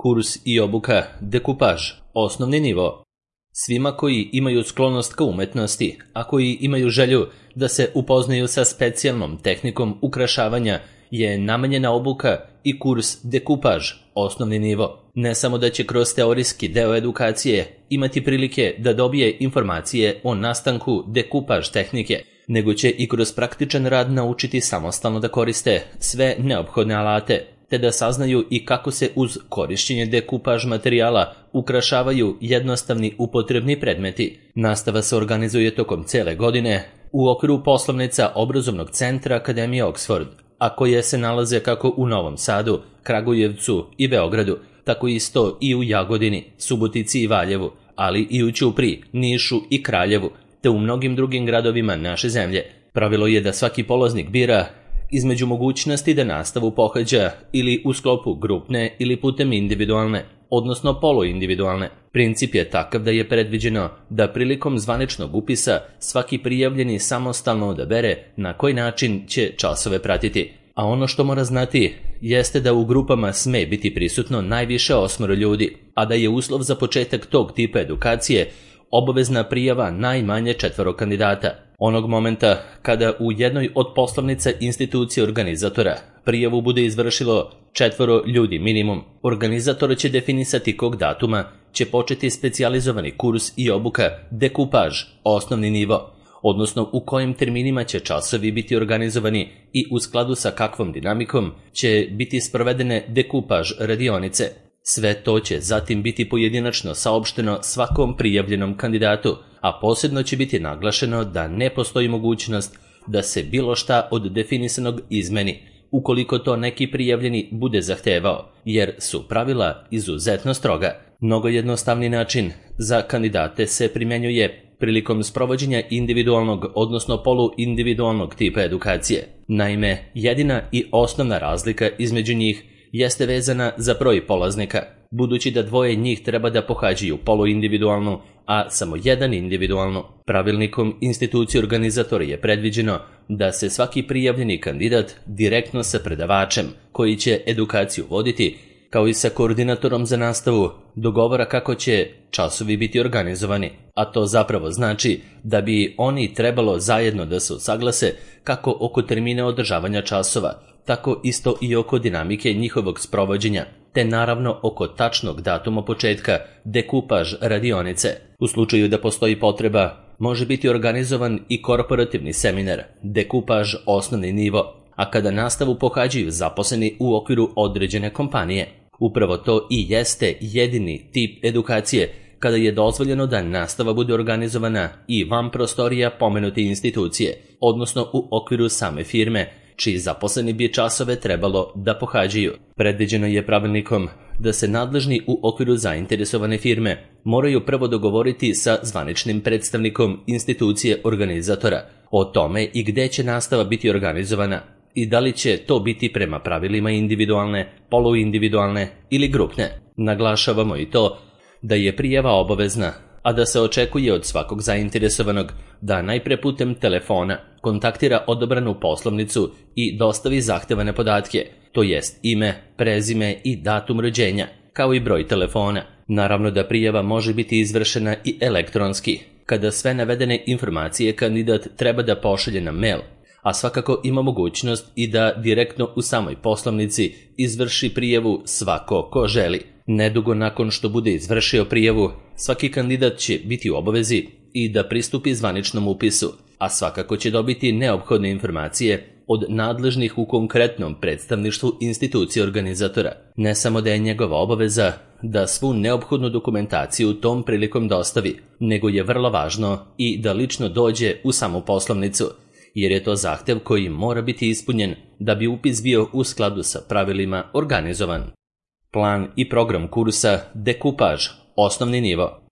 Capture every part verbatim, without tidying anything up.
Kurs i obuka dekupaž, osnovni nivo. Svima koji imaju sklonost ka umetnosti, a koji imaju želju da se upoznaju sa specijalnom tehnikom ukrašavanja, je namenjena obuka i kurs dekupaž, osnovni nivo. Ne samo da će kroz teorijski deo edukacije imati prilike da dobije informacije o nastanku dekupaž tehnike, nego će i kroz praktičan rad naučiti samostalno da koriste sve neophodne alate, te da saznaju i kako se uz korišćenje dekupaž materijala ukrašavaju jednostavni upotrebni predmeti. Nastava se organizuje tokom cele godine u okviru poslovnica obrazovnog centra Akademije Oxford, a koje se nalaze kako u Novom Sadu, Kragujevcu i Beogradu, tako isto i u Jagodini, Subotici i Valjevu, ali i u Ćupriji, Nišu i Kraljevu, te u mnogim drugim gradovima naše zemlje. Pravilo je da svaki polaznik bira između mogućnosti da nastavu pohađa ili u sklopu grupne ili putem individualne, odnosno poluindividualne. Princip je takav da je predviđeno da prilikom zvaničnog upisa svaki prijavljeni samostalno odabere na koji način će časove pratiti. A ono što mora znati jeste da u grupama sme biti prisutno najviše osmoro ljudi, a da je uslov za početak tog tipa edukacije obavezna prijava najmanje četvoro kandidata. Onog momenta kada u jednoj od poslovnica institucije organizatora prijavu bude izvršilo četvoro ljudi minimum, organizator će definisati kog datuma će početi specijalizovani kurs i obuka dekupaž, osnovni nivo, odnosno u kojim terminima će časovi biti organizovani i u skladu sa kakvom dinamikom će biti sprovedene dekupaž radionice. Sve to će zatim biti pojedinačno saopšteno svakom prijavljenom kandidatu, a posebno će biti naglašeno da ne postoji mogućnost da se bilo šta od definisanog izmeni, ukoliko to neki prijavljeni bude zahtevao, jer su pravila izuzetno stroga. Mnogo jednostavni način za kandidate se primjenjuje prilikom sprovođenja individualnog, odnosno poluindividualnog tipa edukacije. Naime, jedina i osnovna razlika između njih jeste vezana za broj polaznika, budući da dvoje njih treba da pohađaju poluindividualnu, a samo jedan individualnu. Pravilnikom institucije organizatora je predviđeno da se svaki prijavljeni kandidat direktno sa predavačem, koji će edukaciju voditi, kao i sa koordinatorom za nastavu, dogovara kako će časovi biti organizovani, a to zapravo znači da bi oni trebalo zajedno da se usaglase kako oko termina održavanja časova, tako isto i oko dinamike njihovog sprovođenja, te naravno oko tačnog datuma početka dekupaž radionice. U slučaju da postoji potreba, može biti organizovan i korporativni seminar, dekupaž osnovni nivo, a kada nastavu pohađaju zaposleni u okviru određene kompanije. Upravo to i jeste jedini tip edukacije kada je dozvoljeno da nastava bude organizovana i van prostorija pomenute institucije, odnosno u okviru same firme, čiji zaposleni bi časove trebalo da pohađaju. Predviđeno je pravilnikom da se nadležni u okviru zainteresovane firme moraju prvo dogovoriti sa zvaničnim predstavnikom institucije organizatora o tome i gde će nastava biti organizovana i da li će to biti prema pravilima individualne, poluindividualne ili grupne. Naglašavamo i to da je prijava obavezna, a da se očekuje od svakog zainteresovanog da najpre putem telefona kontaktira odabranu poslovnicu i dostavi zahtevane podatke, to jest ime, prezime i datum rođenja, kao i broj telefona. Naravno da prijava može biti izvršena i elektronski, kada sve navedene informacije kandidat treba da pošalje na mail, a svakako ima mogućnost i da direktno u samoj poslovnici izvrši prijavu svako ko želi. Nedugo nakon što bude izvršio prijavu, svaki kandidat će biti u obavezi i da pristupi zvaničnom upisu, a svakako će dobiti neophodne informacije od nadležnih u konkretnom predstavništvu institucije organizatora. Ne samo da je njegova obaveza da svu neophodnu dokumentaciju tom prilikom dostavi, nego je vrlo važno i da lično dođe u samu poslovnicu, jer je to zahtev koji mora biti ispunjen da bi upis bio u skladu sa pravilima organizovan. Plan i program kursa dekupaž, osnovni nivo.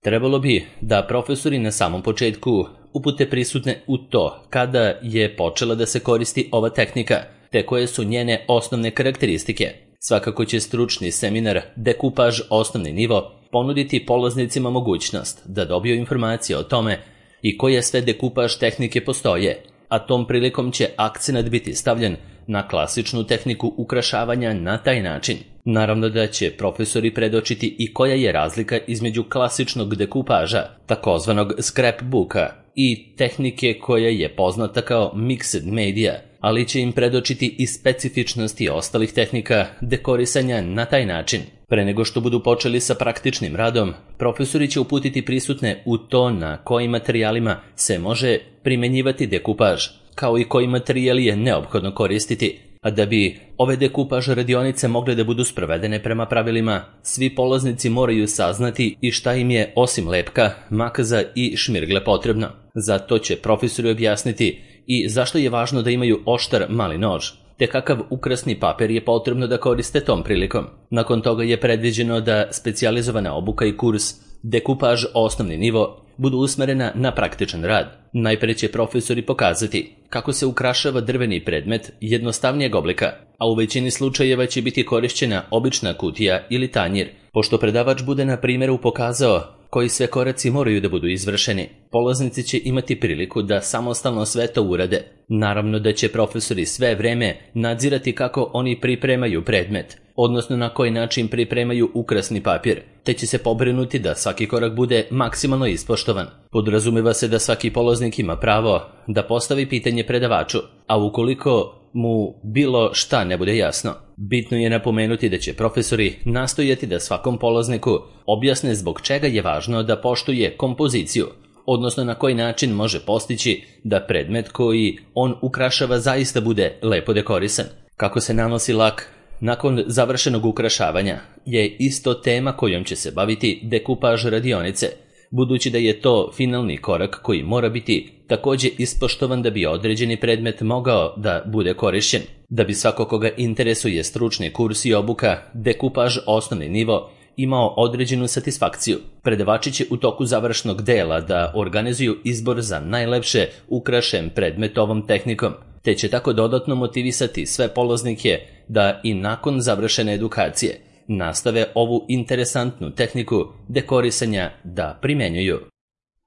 Trebalo bi da profesori na samom početku upute prisutne u to kada je počela da se koristi ova tehnika, te koje su njene osnovne karakteristike. Svakako će stručni seminar dekupaž, osnovni nivo ponuditi polaznicima mogućnost da dobiju informacije o tome i koje sve dekupaž tehnike postoje, a tom prilikom će akcenat biti stavljen na klasičnu tehniku ukrašavanja na taj način. Naravno da će profesori predočiti i koja je razlika između klasičnog dekupaža, takozvanog scrapbooka, i tehnike koja je poznata kao mixed media, ali će im predočiti i specifičnosti ostalih tehnika dekorisanja na taj način. Pre nego što budu počeli sa praktičnim radom, profesori će uputiti prisutne u to na kojim materijalima se može primenjivati dekupaž, kao i koji materijal je neophodno koristiti. A da bi ove dekupaž radionice mogle da budu sprovedene prema pravilima, svi polaznici moraju saznati i šta im je osim lepka, makaza i šmirgle potrebno. Zato će profesori objasniti i zašto je važno da imaju oštar mali nož, te kakav ukrasni papir je potrebno da koriste tom prilikom. Nakon toga je predviđeno da specijalizovana obuka i kurs dekupaž osnovni nivo budu usmerena na praktičan rad. Najpre će profesori pokazati kako se ukrašava drveni predmet jednostavnijeg oblika, a u većini slučajeva će biti korišćena obična kutija ili tanjir. Pošto predavač bude na primjeru pokazao koji sve koraci moraju da budu izvršeni, polaznici će imati priliku da samostalno sve to urade. Naravno da će profesori sve vreme nadzirati kako oni pripremaju predmet, odnosno na koji način pripremaju ukrasni papir, te će se pobrinuti da svaki korak bude maksimalno ispoštovan. Podrazumeva se da svaki polaznik ima pravo da postavi pitanje predavaču, a ukoliko mu bilo šta ne bude jasno, bitno je napomenuti da će profesori nastojati da svakom polazniku objasne zbog čega je važno da poštuje kompoziciju, odnosno na koji način može postići da predmet koji on ukrašava zaista bude lepo dekorisan. Kako se nanosi lak nakon završenog ukrašavanja je isto tema kojom će se baviti dekupaž radionice, budući da je to finalni korak koji mora biti također ispoštovan da bi određeni predmet mogao da bude korišćen. Da bi svako koga interesuje stručni kurs i obuka dekupaž osnovni nivo imao određenu satisfakciju, predavači će u toku završnog dela da organizuju izbor za najlepše ukrašen predmet ovom tehnikom, te će tako dodatno motivisati sve polaznike da i nakon završene edukacije nastave ovu interesantnu tehniku dekorisanja da primenjuju.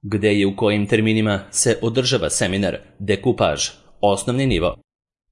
Gde i u kojim terminima se održava seminar dekupaž osnovni nivo?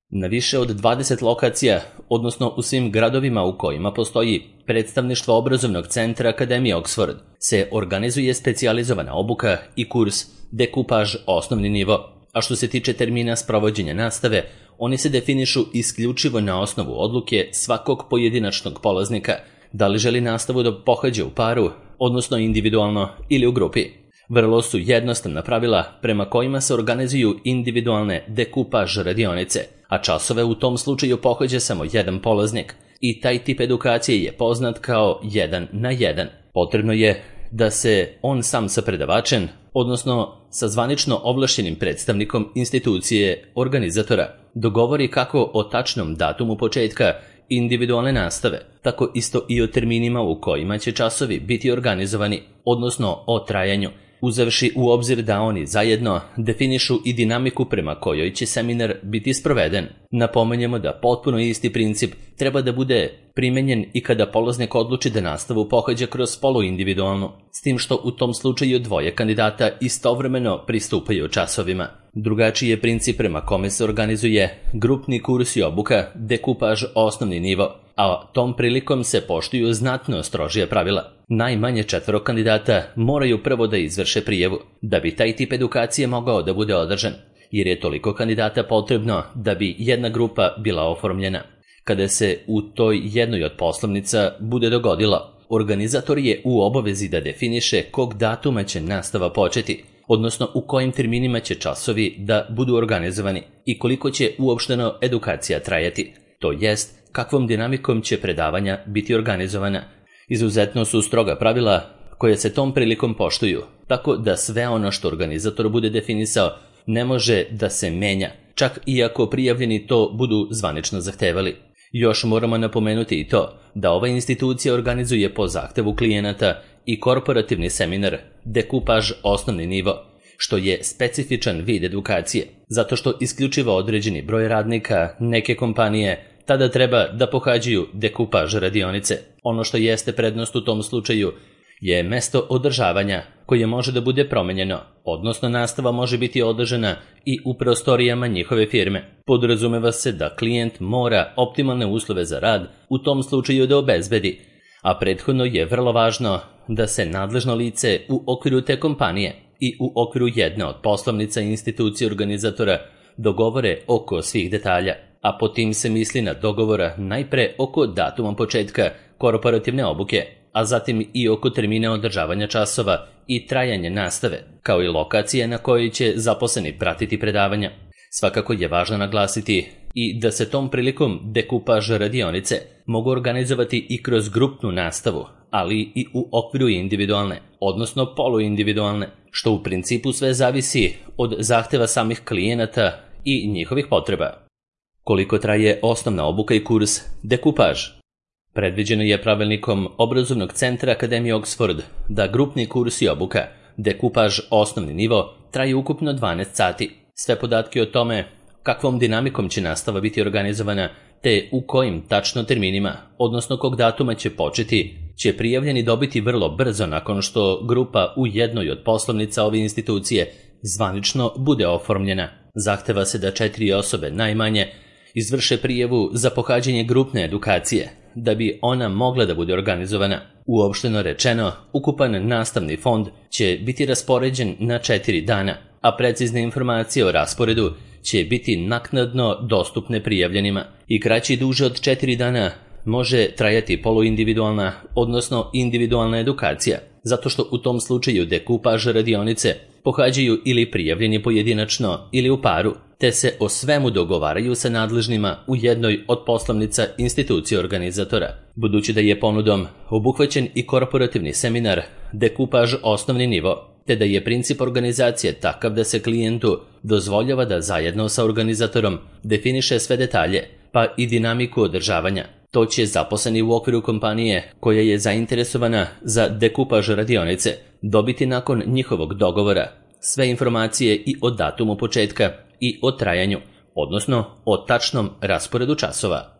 Na više od dvadeset lokacija, odnosno u svim gradovima u kojima postoji predstavništvo obrazovnog centra Akademije Oxford, se organizuje specijalizovana obuka i kurs dekupaž osnovni nivo. A što se tiče termina sprovođenja nastave, oni se definišu isključivo na osnovu odluke svakog pojedinačnog polaznika, da li želi nastavu da pohađa u paru, odnosno individualno ili u grupi. Vrlo su jednostavna pravila prema kojima se organizuju individualne dekupaž radionice, a časove u tom slučaju pohađa samo jedan polaznik i taj tip edukacije je poznat kao jedan na jedan. Potrebno je da se on sam sa predavačem, odnosno sa zvanično ovlašćenim predstavnikom institucije organizatora, dogovori kako o tačnom datumu početka individualne nastave, tako isto i o terminima u kojima će časovi biti organizovani, odnosno o trajanju, uzevši u obzir da oni zajedno definišu i dinamiku prema kojoj će seminar biti sproveden. Napomenjemo da potpuno isti princip treba da bude primenjen i kada polaznik odluči da nastavu pohađa kroz poluindividualnu, s tim što u tom slučaju dvoje kandidata istovremeno pristupaju časovima. Drugačiji je princip prema kome se organizuje grupni kurs i obuka dekupaž osnovni nivo, a tom prilikom se poštuju znatno strožija pravila. Najmanje četvoro kandidata moraju prvo da izvrše prijavu, da bi taj tip edukacije mogao da bude održan, jer je toliko kandidata potrebno da bi jedna grupa bila oformljena. Kada se u toj jednoj od poslovnica bude dogodilo, organizator je u obavezi da definiše kog datuma će nastava početi, odnosno u kojim terminima će časovi da budu organizovani i koliko će uopšteno edukacija trajati, to jest kakvom dinamikom će predavanja biti organizovana. Izuzetno su stroga pravila koje se tom prilikom poštuju, tako da sve ono što organizator bude definisao ne može da se menja, čak i ako prijavljeni to budu zvanično zahtevali. Još moramo napomenuti i to da ova institucija organizuje po zahtevu klijenata i korporativni seminar dekupaž osnovni nivo, što je specifičan vid edukacije, zato što isključivo određeni broj radnika neke kompanije tada treba da pohađaju dekupaž radionice. Ono što jeste prednost u tom slučaju je mesto održavanja, koje može da bude promenjeno, odnosno nastava može biti održana i u prostorijama njihove firme. Podrazumeva se da klijent mora optimalne uslove za rad u tom slučaju da obezbedi, a prethodno je vrlo važno da se nadležno lice u okviru te kompanije i u okviru jedne od poslovnica i institucije organizatora dogovore oko svih detalja, a po tim se misli na dogovora najpre oko datuma početka korporativne obuke, a zatim i oko termina održavanja časova i trajanje nastave, kao i lokacije na kojoj će zaposleni pratiti predavanja. Svakako je važno naglasiti i da se tom prilikom dekupaž radionice mogu organizovati i kroz grupnu nastavu, ali i u okviru individualne, odnosno poluindividualne, što u principu sve zavisi od zahteva samih klijenata i njihovih potreba. Koliko traje osnovna obuka i kurs dekupaž? Predviđeno je pravilnikom Obrazovnog centra Akademije Oxford da grupni kurs i obuka dekupaž osnovni nivo traje ukupno dvanaest sati. Sve podatke o tome kakvom dinamikom će nastava biti organizovana te u kojim tačno terminima, odnosno kog datuma će početi, će prijavljeni dobiti vrlo brzo nakon što grupa u jednoj od poslovnica ove institucije zvanično bude oformljena. Zahteva se da četiri osobe najmanje izvrše prijavu za pohađanje grupne edukacije, da bi ona mogla da bude organizovana. Uopšteno rečeno, ukupan nastavni fond će biti raspoređen na četiri dana, a precizne informacije o rasporedu će biti naknadno dostupne prijavljenima. I kraći duže od četiri dana može trajati poluindividualna, odnosno individualna edukacija, zato što u tom slučaju dekupaž radionice pohađaju ili prijavljeni pojedinačno ili u paru, te se o svemu dogovaraju sa nadležnima u jednoj od poslovnica institucije organizatora. Budući da je ponudom obuhvaćen i korporativni seminar dekupaž osnovni nivo, te da je princip organizacije takav da se klijentu dozvoljava da zajedno sa organizatorom definiše sve detalje, pa i dinamiku održavanja. To će zaposleni u okviru kompanije koja je zainteresovana za dekupaž radionice dobiti nakon njihovog dogovora sve informacije i o datumu početka i o trajanju, odnosno o tačnom rasporedu časova.